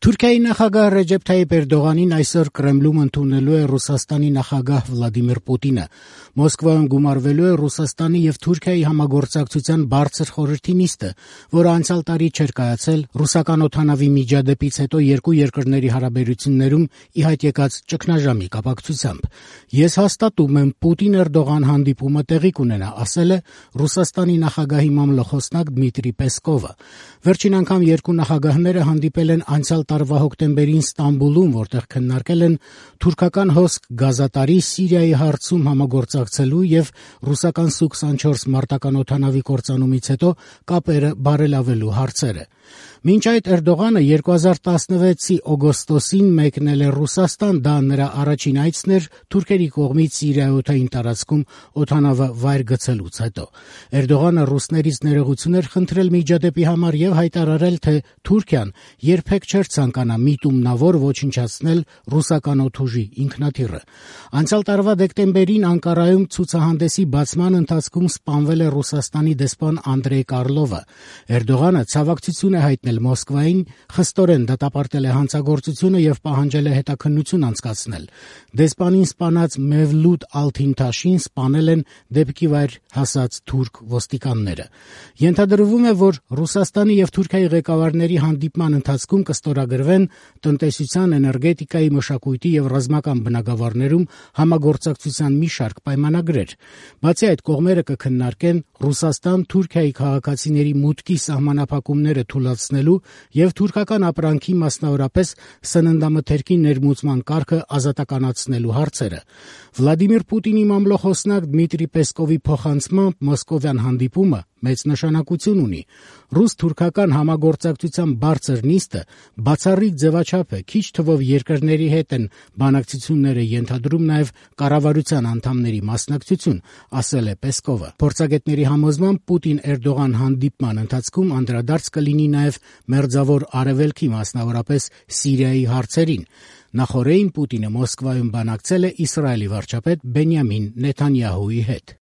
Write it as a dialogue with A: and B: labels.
A: Թուրքիայի նախագահ Ռեջեփ Թայիփ Էրդողանին այսօր Կրեմլում ընդունելու է Ռուսաստանի նախագահ Վլադիմիր Պուտինը։ Մոսկվայում գումարվելու է Ռուսաստանի եւ Թուրքիայի համագործակցության բարձր խորհրդի նիստը, որը անցյալ տարի չէր կայացել ռուսական օդանավի միջադեպից հետո երկու երկրների հարաբերություններում ի հայտ եկած ճգնաժամի կապակցությամբ։ Ես հաստատում եմ, Պուտին-Էրդողան հանդիպումը տեղի կունենա, ասել է Ռուսաստանի նախագահի մամլոխոսնակ Դմիտրի Պեսկովը։ Վերջին անգամ երկու նախագահները հանդիպել են անցյալ տարվա հոկտեմբերին Ստամբուլում, որտեղ քննարկել են թուրքական հոսք գազատարի Սիրիայի հարցում համագործակցելու եւ ռուսական Սու-24 մարտական օդանավի կործանումից հետո կապերը բարելավելու հարցերը։ Մինչ այդ Էրդողանը 2016-ի օգոստոսին մեկնել է Ռուսաստան, դա նրա առաջին այցն էր թուրքերի կողմից Սիրիայոթային տարածքում օդանավը վայր գցելուց հետո։ Էրդողանը ռուսներից ներողություն էր խնդրել միջադեպի համար եւ հայտարարել, թե Թուրքիան երբեք չէր ցանկանա միտումնավոր ոչնչացնել ռուսական օդուժի ինքնաթիռը։ Անցյալ տարվա դեկտեմբերին Անկարայում ցուցահանդեսի բացման ընթացքում սպանվել է Ռուսաստանի դեսպան Անդրեյ Կարլովը։ Էրդողանը ցավակցություն է հայտնել Մոսկվային, խստորեն դատապարտել է հանցագործությունը եւ պահանջել է հետաքննություն անցկացնել։ Դեսպանին սպանած Մևլութ Ալթինթաշին սպանել են դեպքի վայր հասած թուրք ոստիկանները։ Ենթադրվում է, որ Ռուսաստանի եւ Թուրքիայի ղեկավարների հանդիպման ընթացքում կստորագրվեն տնտեսության, էներգետիկայի, մշակույթի եւ ռազմական բնագավառներում համագործակցության մի շարք պայմանագրեր։ Բացի այդ, կողմերը կքննարկեն Ռուսաստան-Թուրքիայի քաղաքացիների մուտքի սահմանափակումները թույլատնելու եւ թուրքական ապրանքի, մասնավորապես սննդամթերքի ներմուծման կարգը ազատականացնելու հարցերը։ Վլադիմիր Պուտինի մամլոխոսնակ Դմիտրի Պեսկովի փոխանցմամբ մոսկովյան հանդիպումը մեծ նշանակություն ունի։ Ռուս-թուրքական համագործակցության բարձր նիստը բացառիկ ձևաչափ է, քիչ թվով երկրների հետ են բանակցությունները ենթադրում նաև կառավարության անդամների մասնակցություն, ասել է Պեսկովը։ Փորձագետների համոզմամբ Պուտին-Էրդողան հանդիպման ընթացքում անդրադարձ կլինի նաև Մերձավոր Արևելքի, մասնավորապես Սիրիայի հարցերին։ Նախորդին Պուտինը Մոսկվայում բանակցել է Իսրայելի վարչապետ Բենյամին Նեթանյահուի հետ։